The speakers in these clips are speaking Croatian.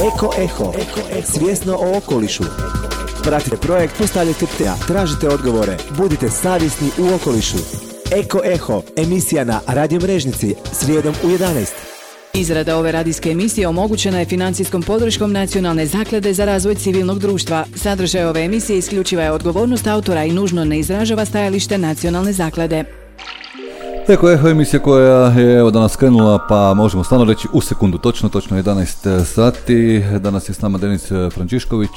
Eko Eho, svjesno o okolišu. Pratite projekt, postavljajte pitanja, tražite odgovore, budite savjesni u okolišu. Eko Eho, emisija na Radio Mrežnici, srijedom u 11. Izrada ove radijske emisije omogućena je financijskom podrškom Nacionalne zaklade za razvoj civilnog društva. Sadržaj ove emisije isključiva je odgovornost autora i nužno ne izražava stajalište Nacionalne zaklade. Eko Eho, emisija koja je evo danas krenula, pa možemo stvarno reći u sekundu, točno 11 sati. Danas je s nama Denis Frančišković,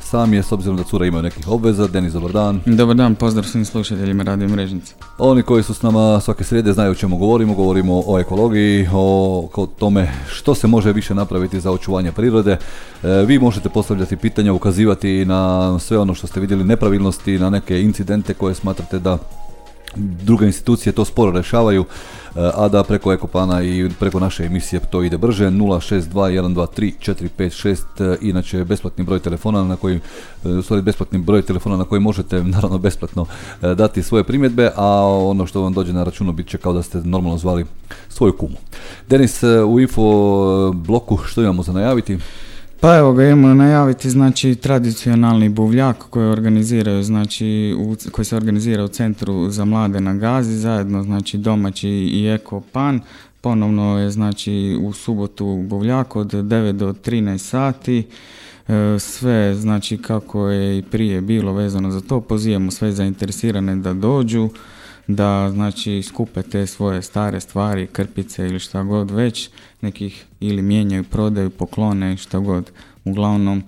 sam je, s obzirom da cura imaju nekih obveza. Denis, dobar dan. Dobar dan, pozdrav svim slušateljima Radio Mrežnice. Oni koji su s nama svake srijede znaju o čemu govorimo o ekologiji, o tome što se može više napraviti za očuvanje prirode. Vi možete postavljati pitanja, ukazivati na sve ono što ste vidjeli, nepravilnosti, na neke incidente koje smatrate da druge institucije to sporo rješavaju, a da preko Ekopana i preko naše emisije to ide brže. 062-123-456, inače besplatni broj telefona na koji možete naravno besplatno dati svoje primjedbe, a ono što vam dođe na računu bit će kao da ste normalno zvali svoju kumu. Denis, u info bloku što imamo za najaviti? Pa evo ga, imamo najaviti, znači, tradicionalni buvljak koji organiziraju, znači, koji se organizira u Centru za mlade na Gazi, zajedno, znači, domaći i Ekopan. Ponovno je, znači, u subotu buvljak od 9 do 13 sati. Sve, znači, kako je i prije bilo vezano za to, pozivamo sve zainteresirane da dođu, da, znači, skupe te svoje stare stvari, krpice ili šta god već, nekih ili mijenjaju, prodaju, poklone, šta god. Uglavnom,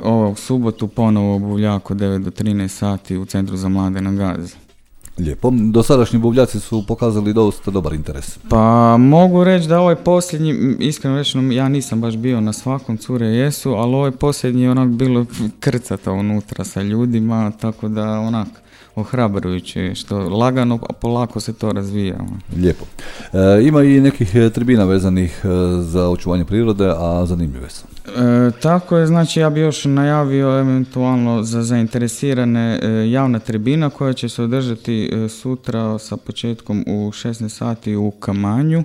ovog subotu ponovo buvljak od 9 do 13 sati u Centru za mlade na Gazi. Lijepo. Dosadašnji buvljaci su pokazali dosta dobar interes. Pa mogu reći da ovaj posljednji, iskreno rečeno, ja nisam baš bio na svakom, cure jesu, ali ovaj posljednji je onak bilo krcata unutra sa ljudima, tako da onak ohrabrujuće, što lagano, a polako se to razvija. Lijepo. Ima i nekih tribina vezanih za očuvanje prirode, a zanimljive su. Tako je, znači ja bi još najavio eventualno za zainteresirane javna tribina koja će se održati sutra sa početkom u 16 sati u Kamanju.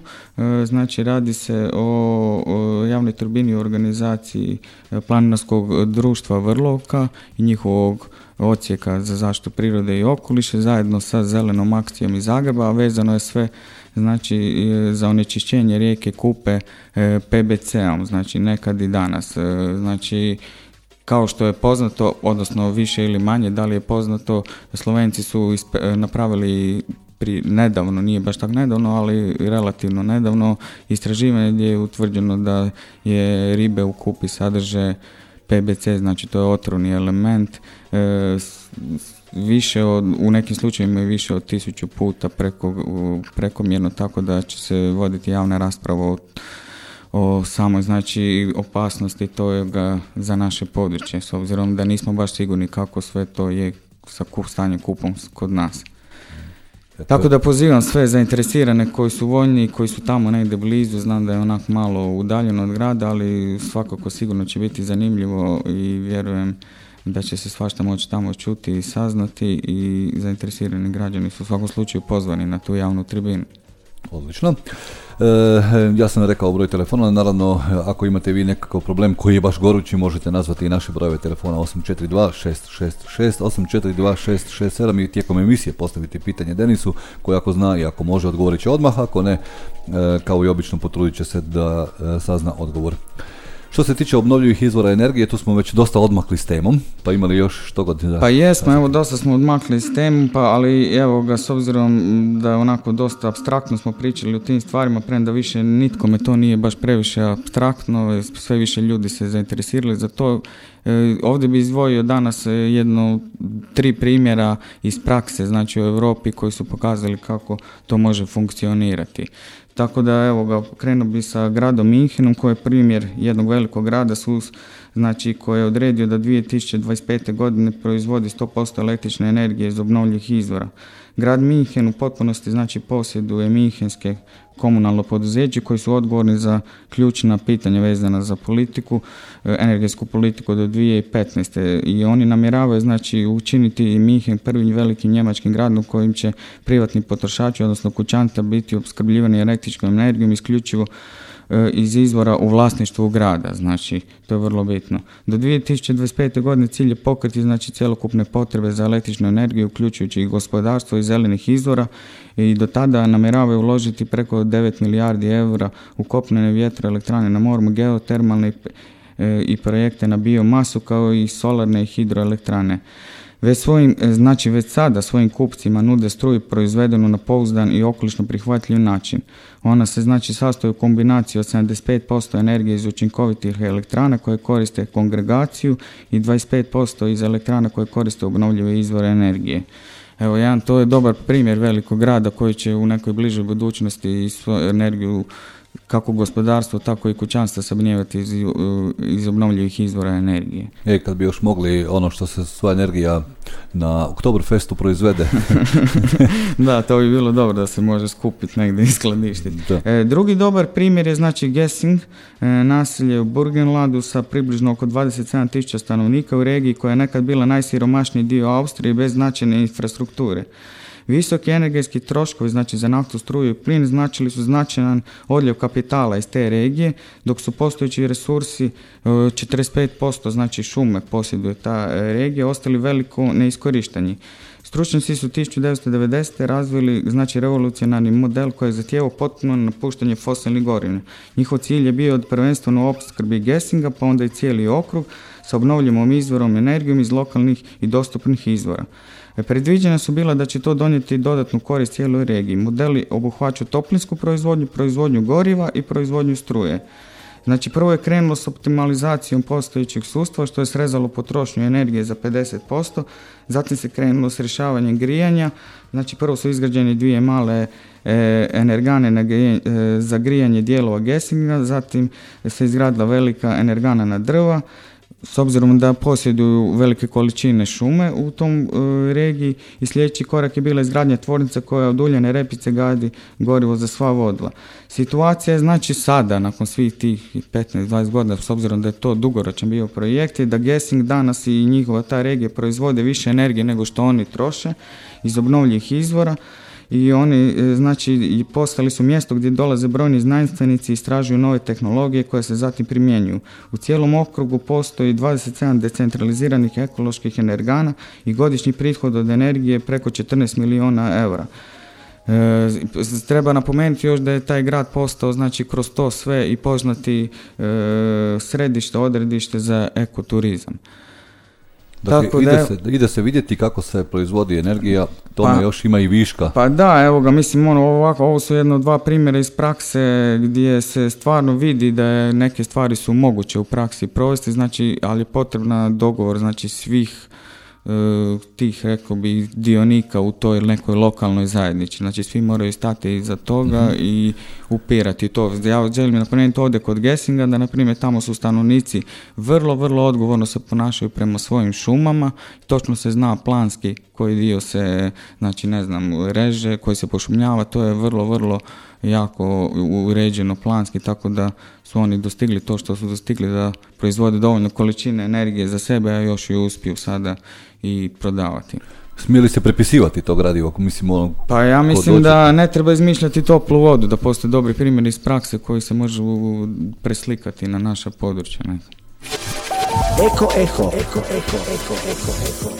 Znači radi se o javnoj tribini u organizaciji Planinarskog društva Vrlovka i njihovog odsjeka za zaštitu prirode i okoliša zajedno sa Zelenom akcijom iz Zagreba, a vezano je sve, znači, za onečišćenje rijeke Kupe PBC-om, znači nekad i danas. Znači, kao što je poznato, odnosno više ili manje, da li je poznato, Slovenci su napravili nedavno, nije baš tako nedavno, ali relativno nedavno, istraživanje gdje je utvrđeno da je ribe u Kupi sadrže PBC, znači to je otrovni element, u nekim slučajevima je više od 1000 puta prekomjerno, tako da će se voditi javna rasprava o samoj, znači, opasnosti toga za naše područje, s obzirom da nismo baš sigurni kako sve to je sa stanjem kupom kod nas. Tako da pozivam sve zainteresirane koji su voljni i koji su tamo negdje blizu, znam da je onak malo udaljeno od grada, ali svakako sigurno će biti zanimljivo i vjerujem da će se svašta moći tamo čuti i saznati i zainteresirani građani su u svakom slučaju pozvani na tu javnu tribinu. Odlično. Ja sam rekao broj telefona, naravno ako imate vi nekakav problem koji je baš gorući možete nazvati i naše brojeve telefona 842-666, 842-667 i tijekom emisije postaviti pitanje Denisu koji ako zna i ako može odgovorit će odmah, ako ne, kao i obično potrudit će se da sazna odgovor. Što se tiče obnovljivih izvora energije, tu smo već dosta odmakli s temom, pa imali još što god... Pa jesmo, evo dosta smo odmakli s temom, ali evo ga, s obzirom da je onako dosta apstraktno smo pričali o tim stvarima, premda više nitkome to nije baš previše apstraktno, sve više ljudi se zainteresirali za to. Ovdje bi izdvojio danas 3 primjera iz prakse, znači u Europi koji su pokazali kako to može funkcionirati. Tako da evo ga, krenuo bi sa gradom Minchenom koji je primjer jednog velikog grada znači koji je odredio da 2025. godine proizvodi 100% električne energije iz obnovljivih izvora. Grad Minchen u potpunosti, znači, posjeduje Minchenske komunalno poduzeće koji su odgovorni za ključna pitanja vezana za politiku, energetsku politiku do 2015. I oni namjeravaju, znači, učiniti Minchen prvim velikim njemačkim gradom kojim će privatni potrošači, odnosno kućanstva, biti opskrbljivani električnom energijom isključivo iz izvora u vlasništvu grada, znači to je vrlo bitno. Do 2025. godine cilj je pokriti znači cjelokupne potrebe za električnu energiju, uključujući i gospodarstvo i zelenih izvora, i do tada namjeravaju uložiti preko 9 milijardi eura u kopnene vjetroelektrane na moru, geotermalne i projekte na biomasu, kao i solarne i hidroelektrane. Već sada svojim kupcima nude struju proizvedenu na pouzdan i okolišno prihvatljiv način. Ona se znači sastoji u kombinaciji od 75% energije iz učinkovitih elektrana koje koriste kongregaciju i 25% iz elektrana koje koriste obnovljive izvore energije. Evo, to je dobar primjer velikog grada koji će u nekoj bližoj budućnosti svoju energiju, kako gospodarstvo, tako i kućanstva, sabnijevati iz obnovljivih izvora energije. Kad bi još mogli ono što se sva energija na Oktoberfestu proizvede. Da, to bi bilo dobro da se može skupiti negdje i skladištiti. Drugi dobar primjer je znači Gessing, naselje u Burgenlandu sa približno oko 27.000 stanovnika u regiji koja je nekad bila najsiromašniji dio Austrije bez značajne infrastrukture. Visoki energetski troškovi, znači za naftu, struju i plin, značili su značajan odljev kapitala iz te regije, dok su postojeći resursi 45%, znači šume posjeduje ta regija, ostali veliko neiskorišteni. Stručnjaci su 1990. razvili znači revolucionarni model koji je zahtijevao potpuno napuštanje fosilnih goriva. Njihov cilj je bio prvenstveno u opskrbi Gessinga, pa onda i cijeli okrug sa obnovljivom izvorom energijom iz lokalnih i dostupnih izvora. Predviđena su bila da će to donijeti dodatnu korist cijeloj regiji. Modeli obuhvaćaju toplinsku proizvodnju, proizvodnju goriva i proizvodnju struje. Znači, prvo je krenulo s optimalizacijom postojećeg sustava, što je srezalo potrošnju energije za 50%, zatim se krenulo s rješavanjem grijanja. Znači, prvo su izgrađene dvije male energane za grijanje dijelova Gessinga, zatim se izgradila velika energana na drva. S obzirom da posjeduju velike količine šume u tom regiji, i sljedeći korak je bila izgradnja tvornice koja od uljane repice gadi gorivo za sva vozila. Situacija je znači sada, nakon svih tih 15-20 godina, s obzirom da je to dugoročan bio projekt, je da Gessing danas i njihova ta regija proizvode više energije nego što oni troše iz obnovljivih izvora. I oni znači postali su mjesto gdje dolaze brojni znanstvenici i istražuju nove tehnologije koje se zatim primjenjuju. U cijelom okrugu postoji 27 decentraliziranih ekoloških energana i godišnji prihod od energije preko 14 milijuna eura. Treba napomenuti još da je taj grad postao znači kroz to sve i poznati središte, odredište za ekoturizam. Dakle, ide se vidjeti kako se proizvodi energija, tome još ima i viška. Pa da, evo ga, mislim, ovo su jedno dva primjera iz prakse gdje se stvarno vidi da neke stvari su moguće u praksi provesti, znači, ali je potrebna dogovor, znači, svih tih, rekao bi, dionika u toj nekoj lokalnoj zajednici. Znači, svi moraju stati iza toga i upirati to. Ja želim napomenuti ovdje kod Gessinga da, na primjer, tamo su stanovnici vrlo, vrlo odgovorno se ponašaju prema svojim šumama. Točno se zna planski koji dio se, znači, ne znam, reže, koji se pošumljava. To je vrlo, vrlo jako uređeno planski, tako da su oni dostigli to što su dostigli, da proizvode dovoljno količine energije za sebe, a još i uspiju sada i prodavati. Smije li se prepisivati to gradivo? Pa ja mislim da ne treba izmišljati toplu vodu, da postoje dobri primjeri iz prakse koji se može preslikati na naša područja. Eko Eho.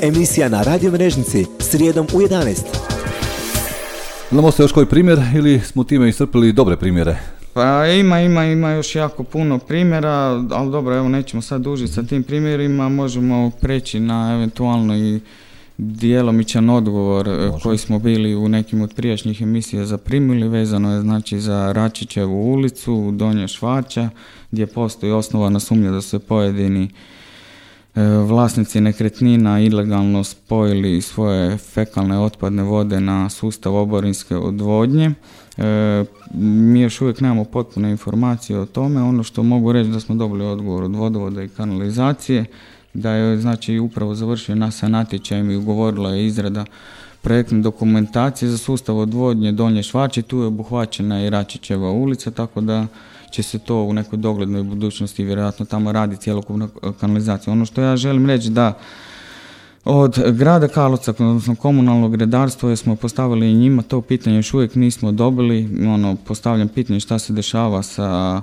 Emisija na Radio Mrežnici srijedom u 11. Znamo se još koji primjer ili smo time iscrpili dobre primjere? Pa ima još jako puno primjera, ali dobro, evo, nećemo sad dužiti sa tim primjerima, možemo preći na eventualno i djelomičan odgovor koji smo bili u nekim od prijašnjih emisija zaprimili, vezano je znači za Račićevu ulicu u Donje Švaća, gdje postoji osnovana sumnja da se pojedini vlasnici nekretnina ilegalno spojili svoje fekalne otpadne vode na sustav oborinske odvodnje. Mi još uvijek nemamo potpune informacije o tome. Ono što mogu reći da smo dobili odgovor od vodovoda i kanalizacije, da je znači upravo završio sa natječajem i ugovorila je izrada projektne dokumentacije za sustav odvodnje Donje Švaće. Tu je obuhvaćena i Račićeva ulica, tako da će se to u nekoj doglednoj budućnosti vjerojatno tamo radi cjelokupna kanalizacija. Ono što ja želim reći da Od grada Karlovca, odnosno komunalnog redarstva, jer smo postavili i njima to pitanje, još uvijek nismo dobili. Postavljam pitanje šta se dešava sa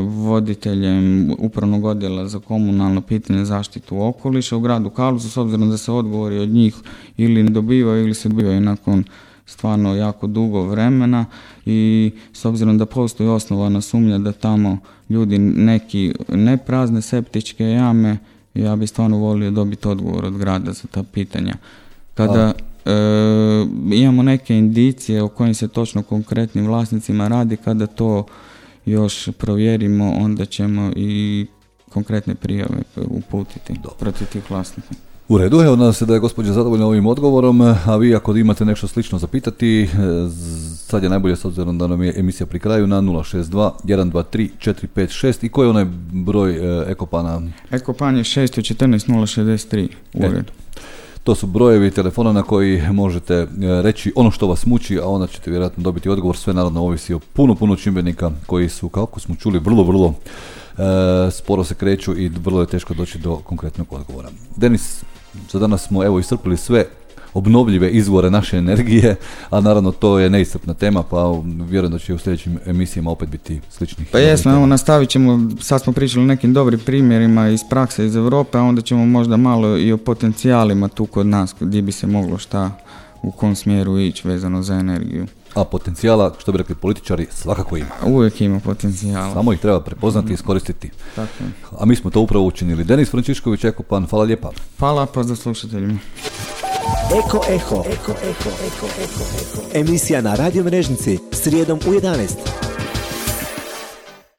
voditeljem upravnog odjela za komunalno pitanje zaštitu okoliša u gradu Karlovcu, s obzirom da se odgovori od njih ili ne dobivaju ili se dobivaju nakon stvarno jako dugo vremena, i s obzirom da postoji osnovana sumnja da tamo ljudi neki ne prazne septičke jame, ja bi stvarno volio dobiti odgovor od grada za ta pitanja. Kada imamo neke indicije o kojim se točno konkretnim vlasnicima radi, kada to još provjerimo, onda ćemo i konkretne prijave uputiti protiv tih vlasnika. U redu, evo nadam se da je gospođa zadovoljna ovim odgovorom, a vi ako imate nešto slično zapitati, sad je najbolje s obzirom da nam je emisija pri kraju na 062 123 456 i koji je onaj broj Ekopana? Ekopan je 614 063 u redu. To su brojevi telefona na koji možete reći ono što vas muči, a onda ćete vjerojatno dobiti odgovor. Sve naravno ovisi o puno čimbenika koji su, kako smo čuli, vrlo sporo se kreću i vrlo je teško doći do konkretnog odgovora. Denis, za danas smo evo iscrpili sve obnovljive izvore naše energije, a naravno to je neiscrpna tema, pa vjerujem da će u sljedećim emisijama opet biti sličnih. Pa jesmo, evo nastavit ćemo, sad smo pričali o nekim dobrim primjerima iz prakse iz Europe, a onda ćemo možda malo i o potencijalima tu kod nas, gdje bi se moglo šta, u kom smjeru ići vezano za energiju. A potencijala, što bi rekli političari, svakako ima. Uvijek ima potencijala. Samo ih treba prepoznati i iskoristiti. Tako je. A mi smo to upravo učinili. Denis Frančišković, Ekopan, hvala lijepa. Hvala, pozdrav slušateljima. Eko Eho. Emisija na Radio Mrežnici, srijedom u 11.